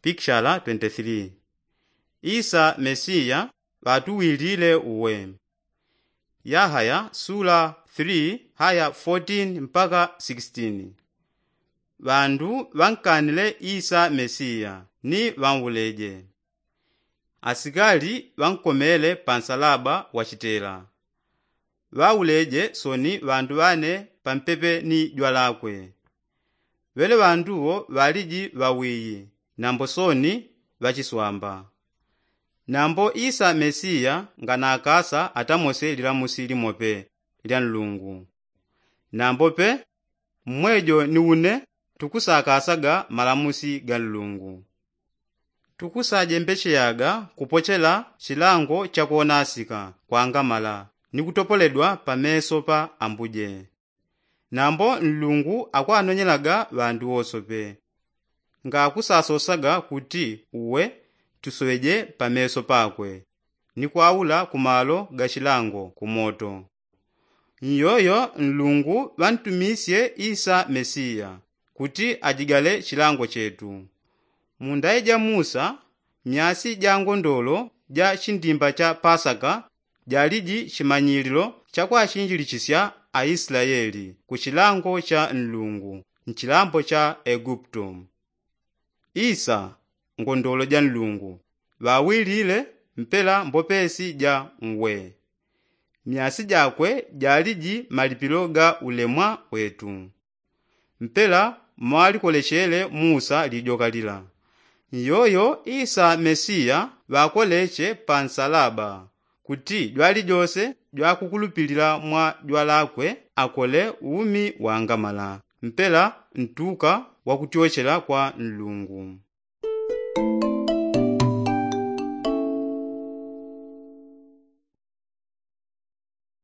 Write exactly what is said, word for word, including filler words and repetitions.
Ikishala twenty three. Isa mesiya ŵatuwilile uwe. Yahaya sula three haya fourteen mpaka sixteen. Ŵandu ŵankanile isa mesiya ni ŵanwuleje. Asikali ŵankomele pa nsalaba wa chitela. Ŵauleje soni ŵandu ŵane pampepe ni jwalakwe. Ŵele ŵandu wo ŵaliji ŵawiyi nambo soni ŵachiswamba. Nambo isa mesiya nganakasa atamose lilamusi limope lya nlungu. Nambo pe mmwejo ni une tukusakasaga malamusi ga nlungu. Tukusajembecheyaga kupochela chilango cha kwonasika kwangamala ni kutopoledwa pa meso pa ambuje. Nambo nlungu akwanonyelaga ŵandu wosope. Ngakusasosaga kuti uwe tusoŵeje pa meso pakwe ni kwaula ku malo ga chilango ku moto. Nyoyo nlungu ŵantumisye isa mesiya kuti ajigale chilango chetu. Mu ndayi ja musa myasi ja ngondolo ja chindimba cha pasaka jaliji chimanyililo cha kwachinjilichisya aislaeli ku chilango cha nlungu nchilambo cha eguputo. Isa ngondolo ja nlungu ŵawilile mpela mbopesi ja ngwe. Myasi jakwe jaliji malipilo ga ulemwa wetu. Mpela mwalikolechele musa lijoka lila. Nyoyo isa mesiya ŵakoleche pa nsalaba kuti jwalijose jwakukulupilila mwa jwalakwe akole umi wangamala mpela ntuka wakutyochela kwa nlungu.